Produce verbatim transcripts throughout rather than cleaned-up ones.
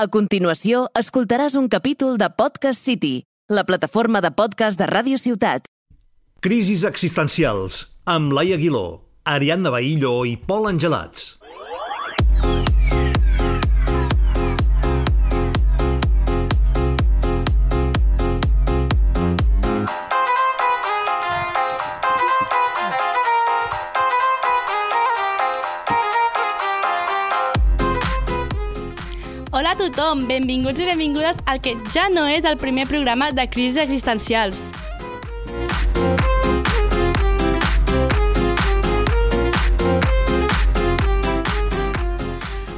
A continuació, escoltaràs un capítol de Podcast City, la plataforma de podcast de Ràdio Ciutat. Crisis existencials, amb Laia Aguiló, Ariadna Bahillo i Pol Angelats. Hola a tothom, benvinguts i benvingudes al que ja no és el primer programa de Crisis Existencials.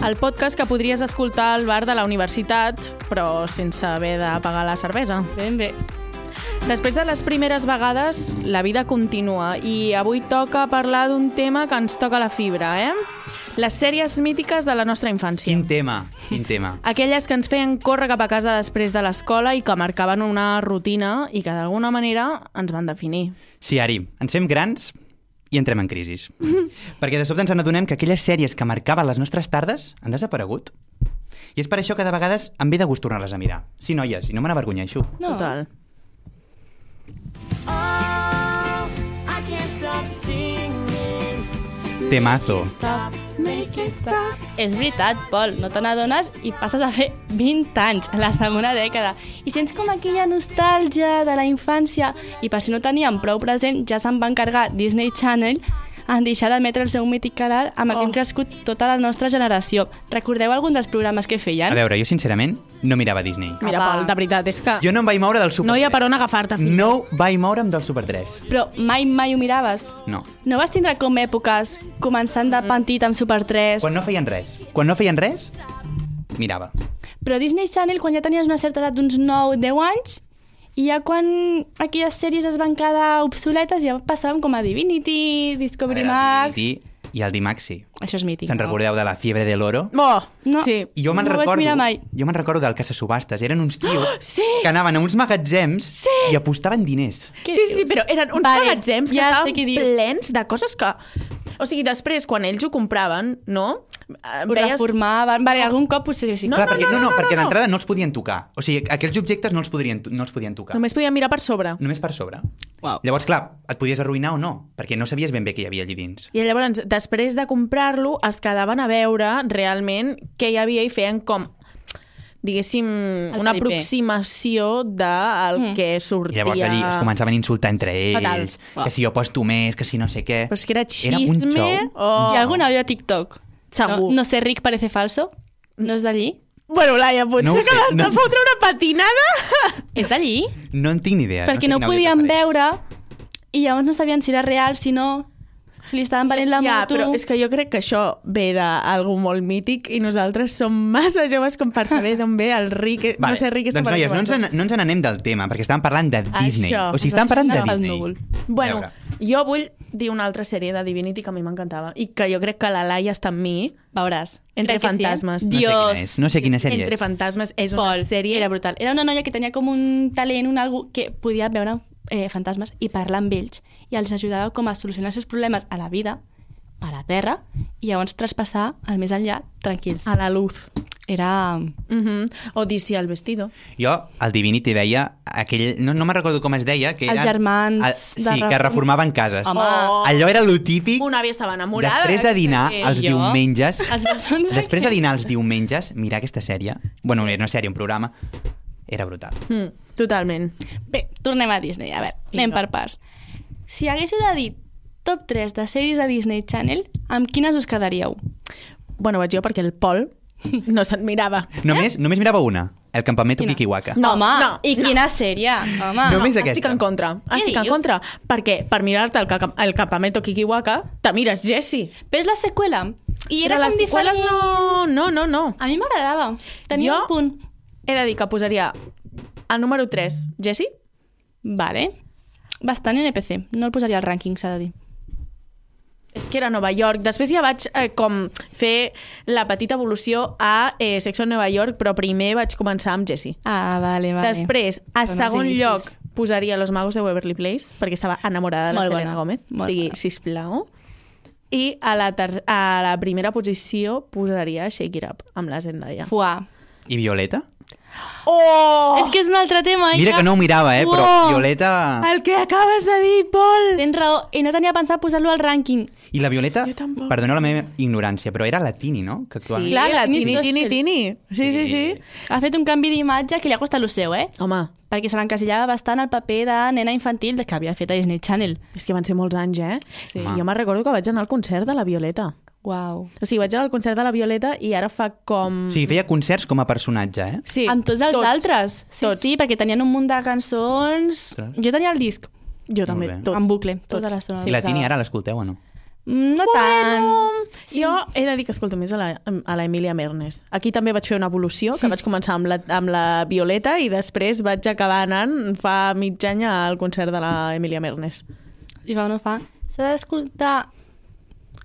El podcast que podries escoltar al bar de la universitat, però sense haver de pagar la cervesa. Ben bé. Després de les primeres vegades, la vida continua i avui toca parlar d'un tema que ens toca la fibra, eh? Les sèries mítiques de la nostra infància. Quin tema, quin tema. Aquelles que ens feien córrer cap a casa després de l'escola i que marcaven una rutina i que d'alguna manera ens van definir. Sí, Ari, ens fem grans i entrem en crisis. Perquè de sobte ens adonem que aquelles sèries que marcaven les nostres tardes han desaparegut. I és per això que de vegades em ve de gust tornar-les a mirar. Sí, noies, i no me n'avergonyeixo. No. Total. Oh, I can't stop singing. Temazo. Stop, make it stop. És veritat, Pol, no te n'adones i passes a fer vint anys, a la segona dècada. I sents com aquella nostàlgia de la infància. I per si no teníem prou present, ja se'n va encarregar Disney Channel en deixar d'emetre el seu mític canal amb el que hem crescut tota la nostra generació. Recordeu algun dels programes que feien? A veure, jo sincerament no mirava Disney. Mira, Apa. Pol, de veritat, és que Jo no em vaig moure del Super no hi ha tres. per on agafar-te. fill. No vaig moure'm del Super tres. Però mai, mai ho miraves? No. No vas tindre com èpoques començant de pentit amb Super tres? Quan no feien res. Quan no feien res, mirava. Però Disney Channel, quan ja tenies una certa edat d'uns nou deu anys, i ja quan aquelles sèries es van quedar obsoletes, ja passàvem com a Divinity, Discovery A veure, Max... el Divinity I el Dimaxi. Això és mític, Se'n no? recordeu de la fiebre de l'oro? Oh, No. sí. I jo me'n No ho vaig recordo, mirar mai. jo me'n recordo del Casa Subhastes. Eren uns tios sí! que anaven a uns magatzems Sí! i apostaven diners. Què Sí, sí, dius? però eren uns Vale, magatzems que ja sé estaven què dius. plens de coses que... O sigui, després, quan ells ho compraven, no? Eh, Ho reformaven... Vale, algun cop potser sí. No, Clar, perquè, no, no, no, no, no, perquè no. d'entrada no els podien tocar. O sigui, aquells objectes no els podien, no els podien tocar. Només podien mirar per sobre. Només per sobre. Uau. Llavors, clar, et podies arruïnar o no, perquè no sabies ben bé què hi havia allí dins. I llavors, després de comprar-lo, es quedaven a veure realment què hi havia i feien com, diguéssim, una paripé. aproximació del Mm. que I sortia... llavors allí es començaven a insultar entre Fatal. ells, Uau. que si jo posto més, que si no sé què... Però és que era Era un xisme... xou. Oh. Hi ha algun àudio a TikTok? Segur. No, no sé, Rick parece falso? No és d'allí? Bueno, Laia, potser No ho que sé, l'has de no. fotre una patinada. És d'allí? No en tinc ni idea. Perquè sé no, quin àudio podien t'apareix. veure i llavors no sabien si era real, si no... Si li estaven venent la Ja, moto... però és que jo crec que això ve d'algú molt mític i nosaltres som massa joves com per saber d'on ve el Rick. Vale. No sé, Rick, doncs, noies, no ens, en, no ens n'anem del tema, perquè estàvem parlant de Disney. Això. O sigui, estàvem parlant de Ens Disney. núvol. Bueno, A veure. jo vull dir una altra sèrie de Divinity que a mi m'encantava i que jo crec que la Laia està amb mi. Veuràs. Entre Crec que sí, eh? fantasmes. No sé Dios. quina és. No sé quina sèrie Entre és. fantasmes és una Pol, sèrie... era brutal. Era una noia que tenia com un talent, un algo que podia veure eh, fantasmes i parlar amb ells i els ajudava com a solucionar els seus problemes a la vida, a la Terra, i llavors traspassar al més enllà tranquils. A la luz. Era... Uh -huh. Odissia al vestido. Jo, el Divinity veia aquell... No, no me'n recordo com es deia, que Els eren... germans Ah, de sí, reform- que reformaven cases. Home, Oh. Allò era lo típic. Una àvia estava enamorada. Després de dinar, d'aquesta els Jo? diumenges... Els bessons Després de aquells. dinar els diumenges, mirar aquesta sèrie... Bueno, no era una sèrie, un programa... Era brutal. Mm, totalment. Bé, tornem a Disney. A veure, Vinga. anem per parts. Si haguéssiu de dir top tres de sèries de Disney Channel, amb quines us quedaríeu? Bueno, vaig jo perquè el Pol no se'n mirava. Només, només mirava una, El campamento Quina? Kikiwaka. No, Home, no, i quina sèrie? Home, Només no, aquesta. estic en contra. Què Estic en dius? contra. Perquè per mirar-te el, ca- el campamento Kikiwaka, te mires Jessie. Però és la seqüela. I era Però com les seqüeles diferent. no... No, no, no. A mi m'agradava. Tenia Jo- un punt. He de dir que posaria el número tres, Jessie. Vale. Bastant N P C. No el posaria al rànquing, s'ha de dir. És que era a Nova York. Després ja vaig eh, com fer la petita evolució a eh, Sexo en Nova York, però primer vaig començar amb Jessie. Ah, vale, vale. Després, a Són els segon inicis. lloc, posaria Los Magos de Waverly Place, perquè estava enamorada de la Molt Selena bona, Gómez. molt O sigui, bona. sisplau. I a la, ter a la primera posició posaria Shake It Up, amb la Zendaya. Fuà. I Violeta? Oh! És que és un altre tema. Mira que no ho mirava, eh, però Uau! Violeta... El que acabes de dir, Pol! Tens raó, i no tenia pensat posar-lo al rànquing. I la Violeta, Jo tampoc. perdoneu la meva ignorància, però era la Tini, no? Que actuava. Sí, Clar, la Tini Tini, Tini, Stossel. Tini. Sí, sí, sí. Ha fet un canvi d'imatge que li ha costat el seu, eh? Home, Perquè se l'encasillava bastant al paper de nena infantil que havia fet a Disney Channel. és que van ser molts anys, eh? Sí. I jo me'n recordo que vaig anar al concert de la Violeta. Uau. O sigui, vaig anar al concert de la Violeta i ara fa com... O sigui, feia concerts com a personatge, eh? Sí, Amb tots els tots. altres. Sí, Tots. sí, perquè tenien un munt de cançons. Ostres. Jo tenia el disc, Jo també, bé. tot. en bucle, tota l'estona. I la Tini ara l'escolteu o no? Mm, No tant. Sí. Jo he de dir que escolto més a la, a la Emilia Mernes. Aquí també vaig fer una evolució, que vaig començar amb la, amb la Violeta i després vaig acabar anant fa mig any al concert de la Emilia Mernes. I fa o no fa. S'ha d'escoltar...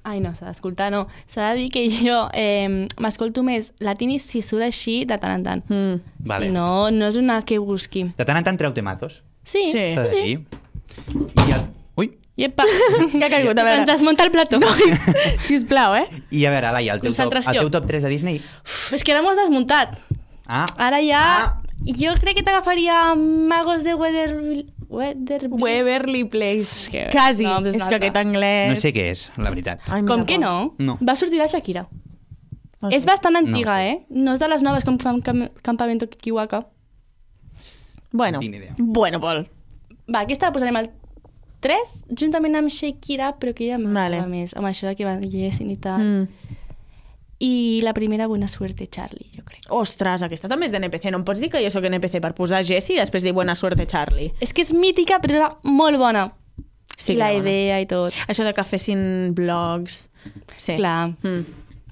Ai, no, s'ha d'escoltar, no. S'ha de dir que jo eh, m'escolto més la Tini si surt així de tant en tant. Mm. Vale. Si no, no és una que busqui. De tant en tant treu temazos. Sí, Sí. S'ha de sí. dir. I el... Ui! Iepa. Què ha caigut? A Ens veure, desmunta el plató. sisplau, eh? I a veure, Laia, el teu, top, Concentració. el teu top tres de Disney? Uf, és que ara m'ho has desmuntat. Ah, Ara ja... Ah. Jo crec que t'agafaria Magos de Weatherville... Weatherville. Waverly Place. És que- Quasi. no, és és un que altre. aquest anglès... no sé què és, la veritat. Ai, mira, Com que Pol. no? No. Va sortir la Shakira. Ah, És sí. bastant antiga, No sé. eh? No és de les noves com fan Cam Campamento Kikiwaka. Bueno, No tinc ni idea. bueno, Pol. Va, aquesta la posarem al tres, juntament amb Shakira, però que ja m'agrada Vale. més, amb això de que ballessin i tal. Mm. I la primera, Buena Suerte, Charlie, jo crec. Ostres, aquesta també és d'N P C. No em pots dir que jo sóc N P C per posar Jessie i després dir Buena Suerte, Charlie. És que és mítica, però era molt bona. Sí, I la que bona. idea i tot. Això de que fessin blogs... Sí. Clar. Mm.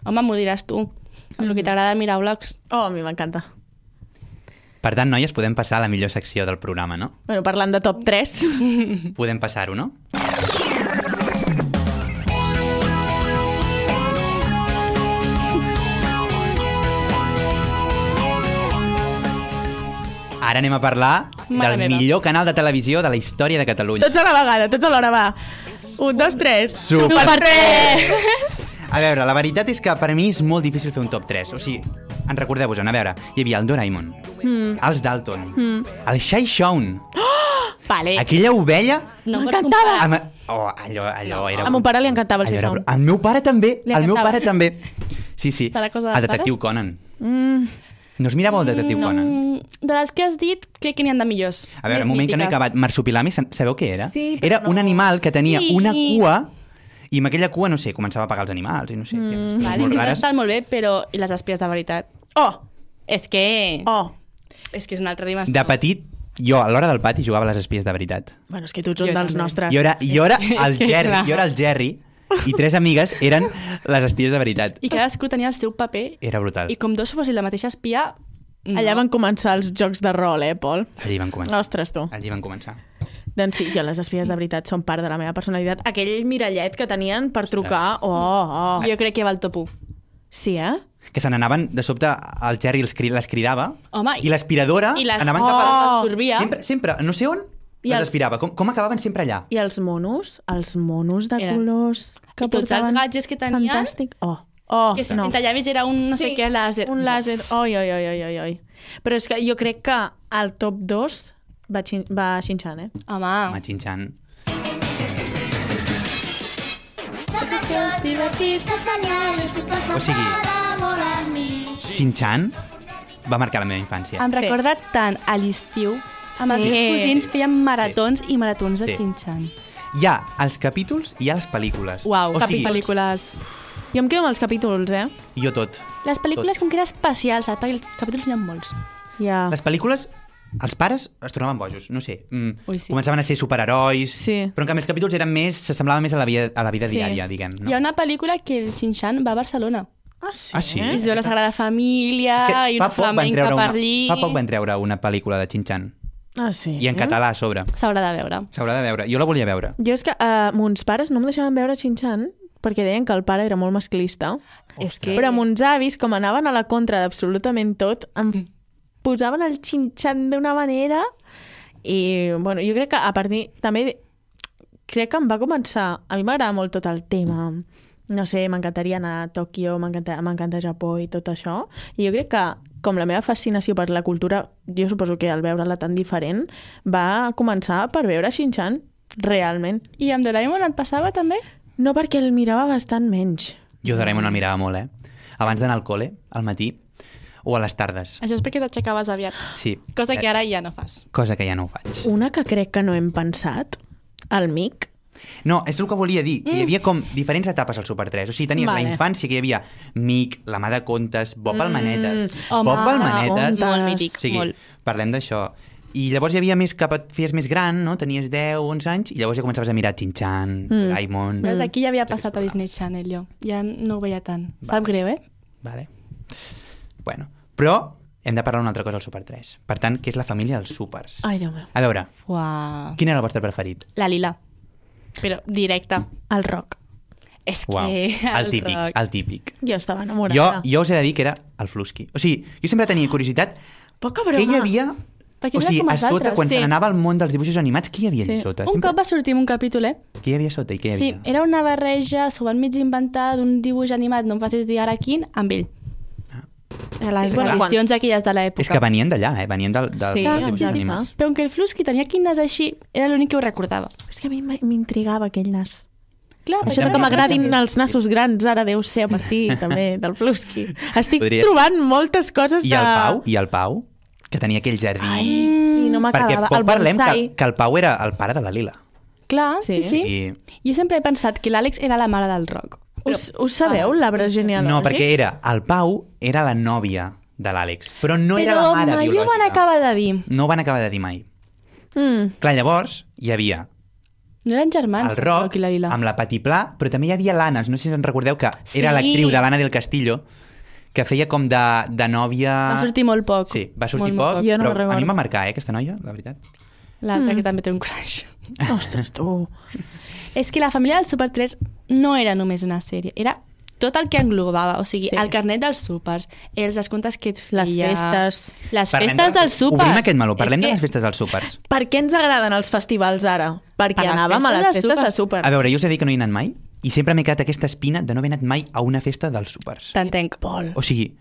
Home, m'ho diràs tu. Amb el que t'agrada mirar vlogs. Oh, a mi m'encanta. Per tant, noies, podem passar a la millor secció del programa, no? Bueno, parlant de top tres... Podem passar-ho, no? Ara anem a parlar Mare del meva. millor canal de televisió de la història de Catalunya. Tots a la vegada, tots a l'hora, va. Un, dos, tres. Super tres! A veure, la veritat és que per a mi és molt difícil fer un top tres. O sigui, en recordeu-vos-en, a veure, hi havia el Doraemon, mm. els Dalton, mm. el Shai Shaun, Vale. aquella ovella... No pots M'encantava. comparar. Amb... Oh, allò, allò era... A mon pare li encantava el allò Shai era- Shaun. Al meu pare també, Li al meu encantava. pare també. Sí, sí, Serà cosa el dels detectiu pares? Conan. Mm. No es mirava el detectiu no, Conan? De les que has dit, crec que n'hi ha de millors. A veure, Més un moment que no he mítiques. acabat. Marsupilami, sa- sabeu què era? Sí, però era no. un animal que tenia Sí. una cua i amb aquella cua, no sé, començava a pagar els animals i no sé, mm. Vale, molt que rares. estan molt bé, però... I les espies de veritat? Oh! És que... Oh! És que és una altra dimensió. De petit, jo a l'hora del pati jugava a les espies de veritat. Bueno, és que tu ets un Jo dels també. nostres. Jo era, jo era el És que Jerry, clar. jo era el Jerry i tres amigues eren les espies de veritat. I cadascú tenia el seu paper Era brutal. i com dos fossin la mateixa espia... No. Allà van començar els jocs de rol, eh, Pol? Allí van començar. Ostres, tu. Allí van començar. Doncs sí, jo les espies de veritat són part de la meva personalitat. Aquell mirallet que tenien per trucar... Oh, oh. Jo crec que va al top u. Sí, eh? Que se n'anaven, de sobte, el Jerry els cri- les cridava Home, i l'aspiradora I les... anaven oh, cap a... absorbia. Sempre, sempre, no sé on, I les els- aspirava. Com, com acabaven sempre allà? I els monos, els monos de Eren- colors que I tots els portaven... gadgets que tenien... Fantàstic. Oh, oh, Que si no. no. llavis era un no sé Sí, què làser. un làser. Oi, oi, oi, oi, oi, oi. Però és que jo crec que al top dos va, xin va Shin-chan, eh? Home, Home, Xinxan. O sigui, Xinxan va marcar la meva infància. em Sí. recorda tant a l'estiu. Amb els Sí. meus cosins feien maratons i maratons de Sí. Shin-chan. Hi ha els capítols i hi ha les pel·lícules. Uau, o cap sigui, pel·lícules. Jo em quedo amb els capítols, eh? jo tot. Les pel·lícules Tot. com que era especial, saps? Perquè els capítols n'hi ha molts. Ja. Les pel·lícules, els pares es tornaven bojos, no sé. Mm, Ui, sí. Començaven a ser superherois, Sí. però en canvi els capítols eren més, s'assemblaven més a la vida, a la vida Sí. diària, diguem. No? Hi ha una pel·lícula que el Shin-chan va a Barcelona. Ah, sí? Ah, sí? I es veu la Sagrada Família És que i fa una poc, van flamenca treure per una, allí. fa poc van treure una pel·lícula de Xinxan. Ah, sí? I en català a sobre. S'haurà de veure. S'haurà de veure. Jo la volia veure. Jo és que uh, mons pares no em deixaven veure Shin-chan perquè deien que el pare era molt masclista. És que... Però mons avis, com anaven a la contra d'absolutament tot, em posaven el Shin-chan d'una manera i, bueno, jo crec que a partir... També crec que em va començar... A mi m'agrada molt tot el tema. No sé, m'encantaria anar a Tòquio, m'encanta m'encanta Japó i tot això. I jo crec que com la meva fascinació per la cultura, jo suposo que al veure-la tan diferent, va començar per veure Shin-chan, realment. I amb Doraemon et passava també? No, perquè el mirava bastant menys. Jo Doraemon el mirava molt, eh? Abans d'anar al col·le, al matí, o a les tardes. Això és perquè t'aixecaves aviat. Sí. Cosa que ara ja no fas. Cosa que ja no ho faig. Una que crec que no hem pensat, el Mic. No, és el que volia dir. Mm. Hi havia com diferents etapes al Super tres. O sigui, tenies Vale. la infància, que hi havia Mic, la mà de contes, Bob el Manetes. Home, Bob el Manetes. molt mític, O sigui, molt. parlem d'això. I llavors hi havia més cap et feies més gran, no? Tenies deu, onze anys, i llavors ja començaves a mirar Shin-chan, Mm. Doraemon... Veus, aquí ja havia passat a Disney Channel, jo. Ja no ho veia tant. Sap greu, eh? Vale. Bueno, però hem de parlar d'una altra cosa al Super tres. Per tant, que és la família dels súpers. Ai, Déu meu. A veure, Uau. quin era el vostre preferit? La Lila. Però directa. El Roc. És Uau, que... el típic, rock. el típic. Jo estava Jo, enamorada. jo us he de dir que era el Flusky. O sigui, jo sempre tenia curiositat Poca broma. què hi havia... Perquè O no era sigui, com a els sota, altres. quan sí. se n'anava al món dels dibuixos animats, què hi havia Sí. allà sota? Un cop va sortir un capítol, eh? Què hi havia sota i què hi Sí, havia? era una barreja, s'ho van mig inventar d'un dibuix animat, no em facis dir ara quin, amb ell. A les Sí, bueno, edicions aquelles de l'època. És que venien d'allà, eh? Venien del, del, Sí, dels sí, dibuixos sí, animats. Però que el Flusky tenia quines així, era l'únic que ho recordava. És que a mi m- m'intrigava aquell nas. Clar, Això Això de també que és m'agradin gràcies. els nassos grans ara deu ser a partir també del Flusky. Estic Podria- trobant moltes coses I de... el Pau, i el Pau, que tenia aquell jardí... Ai, sí, no Perquè m'acabava. poc El parlem bonsai. que, que el Pau era el pare de la Lila. Clar, sí, Sí. sí. I... Jo sempre he pensat que l'Àlex era la mare del rock. Us, us sabeu Ah, l'arbre genealògic? No, perquè era... El Pau era la nòvia de l'Àlex, però no era Però la mare mai ho biològica. van acabar de dir. No ho van acabar de dir mai. Mm. Clar, llavors hi havia No eren germans, el Roc i la Lila. amb la Patiplà, però també hi havia l'Anna, no sé si en recordeu, que Sí. era l'actriu de l'Anna del Castillo, que feia com de, de nòvia... Va sortir molt poc. Sí, va sortir Molt, molt poc, Jo no però recordo. a mi em va marcar, eh, aquesta noia, la veritat. L'altra Mm. que també té un crush. Ostres, tu. És que la família del Super tres no era només una sèrie, era tot el que englobava, o sigui, Sí. sí. el carnet dels súpers, els descomptes que et feia... Les festes. Les Parlem festes de- dels súpers. Obrim aquest meló, parlem És de que les festes dels súpers. Per què ens agraden els festivals ara? Perquè Per les anàvem a festes les de festes súper. de súper. A veure, jo us he dit que no hi he anat mai i sempre m'he quedat aquesta espina de no haver anat mai a una festa dels súpers. T'entenc. Pol. O sigui,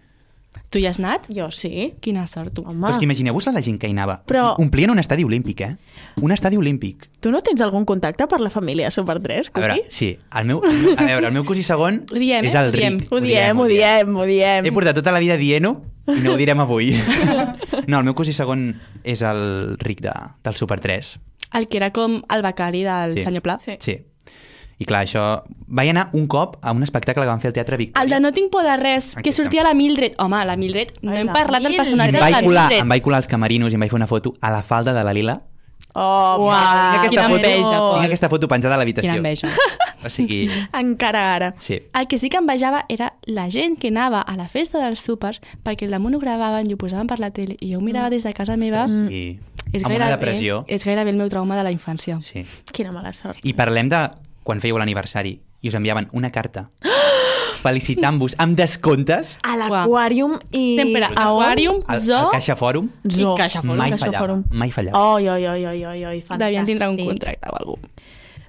Tu hi has anat? Jo sí. Quina sort, tu. Home, però és que imagineu-vos la gent que hi anava. Però- O sigui, omplien un estadi olímpic, eh? Un estadi olímpic. tu no tens algun contacte per la família Super tres, A veure, Cuqui? sí, el meu, el meu, a veure, el meu cosí segon Ho diem, és eh? el Ho diem. Ric. Ho diem, ho diem, ho diem. He portat tota la vida dient-ho i no ho direm avui. No, el meu cosí segon és el Ric de, del Super tres. El que era com el becari del Sí. senyor Pla. Sí. Sí. I clar, això... Vaig anar un cop a un espectacle que van fer al Teatre Victòria. El de No tinc por de res, que Exacte. sortia la Mildred. Home, la Mildred, no Ai, hem la parlat del Mildred. personatge I em de vaig, la colar, Mildred. em vaig colar als camarinos i em vaig fer una foto a la falda de la Lila. Oh, Uau, va, quina que enveja, no. Pol. Tinc aquesta foto penjada a l'habitació. Quina enveja. O sigui, Encara ara. sí. El que sí que envejava era la gent que anava a la festa dels súpers perquè el damunt ho gravaven i ho posaven per la tele i jo ho mirava des de casa meva. I És amb una gairebé, depressió. és gairebé el meu trauma de la infància. Sí. Quina mala sort. I parlem de quan fèieu l'aniversari i us enviaven una carta felicitant-vos amb descomptes A l'aquàrium i... Sempre a on? aquàrium, al, zoo al Caixa Fòrum. Zoo. i Caixa Fòrum. Mai Caixa fallava, Fòrum. mai fallava. Oi, oi, oi, oi, oi, oi, fantàstic. Devien tindre un contracte o alguna cosa.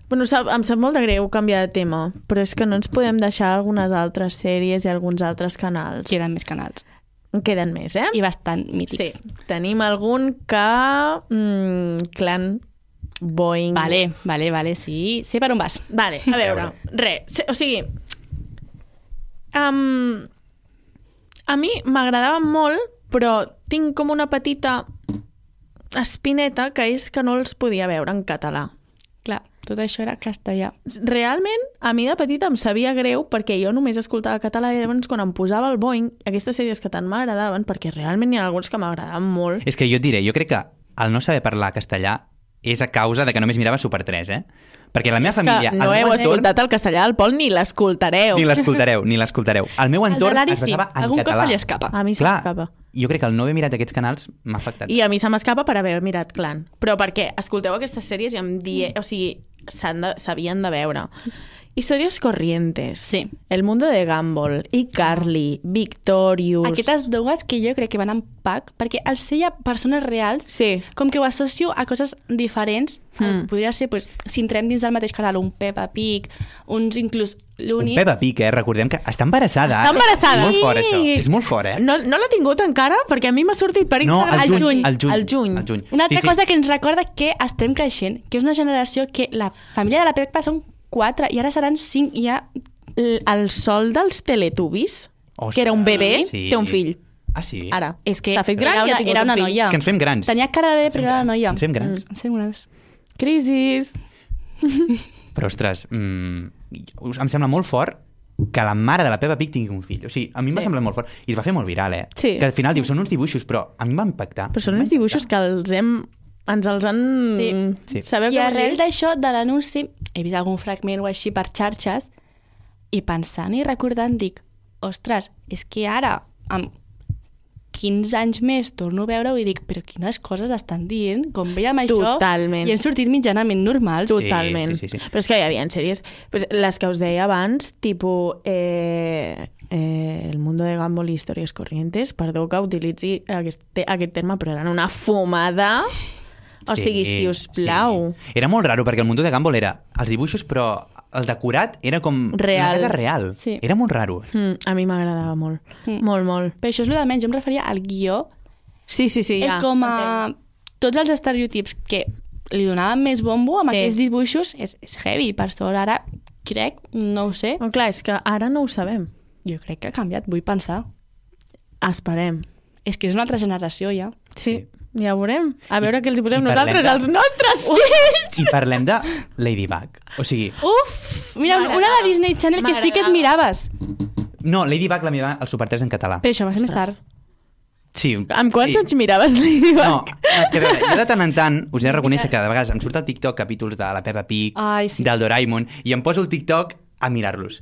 Bueno, sap, em sap molt de greu canviar de tema, però és que no ens podem deixar algunes altres sèries i alguns altres canals. Queden més canals. En queden més, eh? I bastant Sí, mítics. tenim algun que... Mm, clan Boeing... Vale, vale, vale, sí. Sé per on vas. Vale, a veure, res, o sigui... Um, a mi m'agradava molt, però tinc com una petita espineta que és que no els podia veure en català. Clar, tot això era castellà. Realment, a mi de petita em sabia greu perquè jo només escoltava català i llavors quan em posava el Boeing, aquestes sèries que tant m'agradaven, perquè realment hi ha alguns que m'agradaven molt. És que jo et diré, jo crec que el no saber parlar castellà és a causa de que només mirava Super tres, eh? Perquè la meva És família... que no el meu heu entorn- escoltat el castellà del Pol ni l'escoltareu. Ni l'escoltareu, ni l'escoltareu. El meu El de entorn l'Ari es sí, basava en algun cop català. se li escapa. A mi se Clar, m'escapa. jo crec que el no haver mirat aquests canals m'ha afectat. I a mi se m'escapa per haver mirat Clan. Però perquè escolteu aquestes sèries i em die... o sigui, s'han de, s'havien de veure. Historias Corrientes, Sí. El Mundo de Gumball, iCarly, Victorious... Aquestes dues que jo crec que van en pack, perquè al ser ja persones reals, Sí. com que ho associo a coses diferents, Mm. podria ser, pues, si entrem dins del mateix canal, un Peppa Pig, uns inclús Un l'únic... Peppa Pig, eh? Recordem que està embarassada. Està embarassada. És molt fort, això. Sí. És molt fort, eh? No, no l'ha tingut encara perquè a mi m'ha sortit per No, Instagram. al Al juny. juny. Al juny. Al juny. Al juny. Una altra Sí, sí. cosa que ens recorda que estem creixent, que és una generació que la família de la Peppa són quatre i ara seran cinc i ja... L- El sol dels Teletubbies, Ostres, que era un bebè, sí. té un fill. Ah, sí? Ara. És que S'ha fet gran era i ha una, tingut era un una fill. noia. És que ens fem grans. Tenia cara de bebè, Ens fem però era una grans. noia. Ens fem grans. Ens fem grans. Crisis. Però, ostres, mm, em sembla molt fort que la mare de la Peppa Pig tingui un fill. O sigui, a mi em va Sí. semblar molt fort. I es va fer molt viral, eh? Sí. Que al final diu, són uns dibuixos, però a mi em va impactar. Però són uns dibuixos que els hem... ens els han... Sí. Sí. Sabeu I què vol arrel dir? d'això, de l'anunci, he vist algun fragment o així per xarxes i pensant i recordant dic, ostres, és que ara, amb quinze anys més, torno a veure-ho i dic, però quines coses estan dient, com veiem això, Totalment. i hem sortit mitjanament normals. Totalment. Sí, sí, sí, sí. Però és que hi havia sèries... Pues, les que us deia abans, tipus... Eh, eh, El Mundo de Gumball i Històries Corrientes, perdó que utilitzi aquest, te- aquest terme, però eren una fumada... O Sí, sigui, si us plau... sí. Era molt raro, perquè el Mundo de Gumball era els dibuixos, però el decorat era com Real. una casa real. Sí. Era molt raro. Mm, a mi m'agradava molt. Mm. Molt, molt. Però això és el de menys, jo em referia al guió, Sí, sí, sí, ja. el com a entenc. tots els estereotips que li donaven més bombo amb Sí. aquests dibuixos és, és heavy, per sort ara crec, no ho sé, No, clar, és que ara no ho sabem. jo crec que ha canviat, vull pensar. Esperem. És que és una altra generació ja. Sí, ja ho veurem. A veure què els hi posem i parlem nosaltres, de- els nostres fills! I parlem de Ladybug. O sigui, Uf! Mira, una M'agradava. de Disney Channel que sí que et M'agradava. miraves. no, Ladybug la meva al Super tres en català. Però això va ser més Ostres. tard. Sí. Amb quants sí. anys miraves Ladybug? No, és que a veure, jo de tant en tant us he de reconèixer que de vegades em surt al TikTok capítols de la Peppa Pig, Ai, sí. del Doraemon, i em poso el TikTok a mirar-los.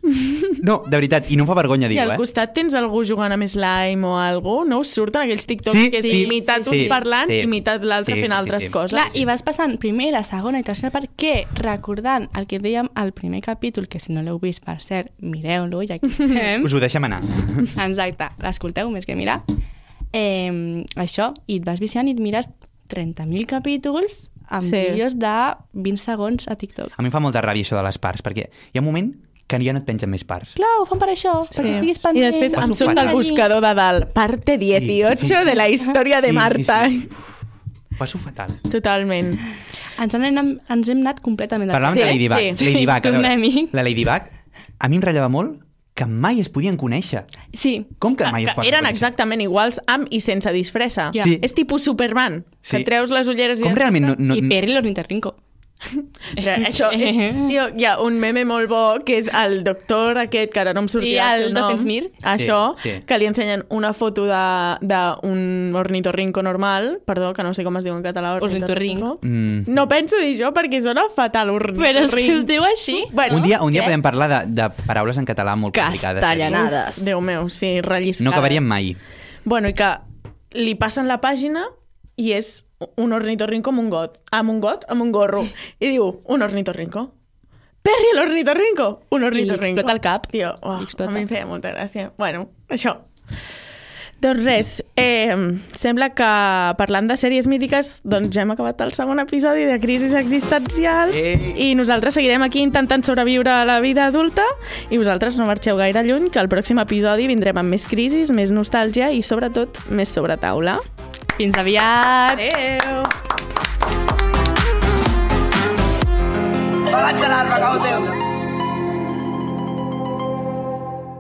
No, de veritat, i no em fa vergonya I dir-ho, al eh? costat tens algú jugant amb slime o algú, no us surten aquells TikToks Sí, que és sí, imitat sí, un sí. parlant Sí. i imitat l'altre Sí, fent sí, sí, altres sí. coses. Clar, i vas passant primera, segona i tercera part que, recordant el que dèiem al primer capítol, que si no l'heu vist, per cert, mireu-lo, ja que estem. Us ho deixem anar. Exacte, l'escolteu més que mirar. Eh, això, i et vas viciant i et mires trenta mil capítols amb Sí. vídeos de vint segons a TikTok. A mi em fa molta ràbia això de les parts, perquè hi ha un moment que ja no et pengen més parts. Clar, ho fan per això, sí. perquè estiguis I pendent. després em Passo surt fatal. el buscador de dalt. Parte dieciocho Sí, sí, sí. de la història de Sí, Marta. sí, sí. Ho passo fatal. Totalment. Ens, hem, ens hem anat completament de Parlàvem Sí, de Ladybug. sí. Ladybug, a veure, Tornem-hi. la Ladybug, a mi em ratllava molt que mai es podien conèixer. Sí, Com que mai es Que poden eren conèixer? exactament iguals amb i sense disfressa. Ja. Sí. És tipus Superman, que Sí. treus les ulleres i... Com ja realment no... no i Perry l'ornitorrinco. Però això, és, tio, hi ha un meme molt bo que és el doctor aquest, que ara no em sortirà I el seu nom, Doofenshmirtz. això, Sí, sí. que li ensenyen una foto d'un ornitorrinco normal, perdó, que no sé com es diu en català, Ornitorrinco. Mm. No penso dir això perquè sona fatal, ornitorrinco. Però és que es diu així. Bueno, Un dia, un dia què? podem parlar de, de paraules en català molt complicades. Castellanades. Déu meu, sí, relliscades. No acabaríem mai. Bueno, i que li passen la pàgina i és un ornitorrinco amb un got, amb un got, amb un gorro. I diu, un ornitorrinco. Perry l'ornitorrinco! Un I li ornitorrinco. explota el cap. Tio, oh, Li explota. a mi em feia molta gràcia. Bueno, això. Doncs res, eh, sembla que parlant de sèries mítiques, doncs ja hem acabat el segon episodi de Crisis Existencials Ei. i nosaltres seguirem aquí intentant sobreviure a la vida adulta i vosaltres no marxeu gaire lluny, que al pròxim episodi vindrem amb més crisis, més nostàlgia i sobretot més sobretaula. Fins aviat! Adéu!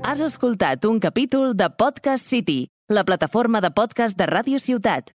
Has escoltat un capítol de Podcast City, la plataforma de podcast de Ràdio Ciutat.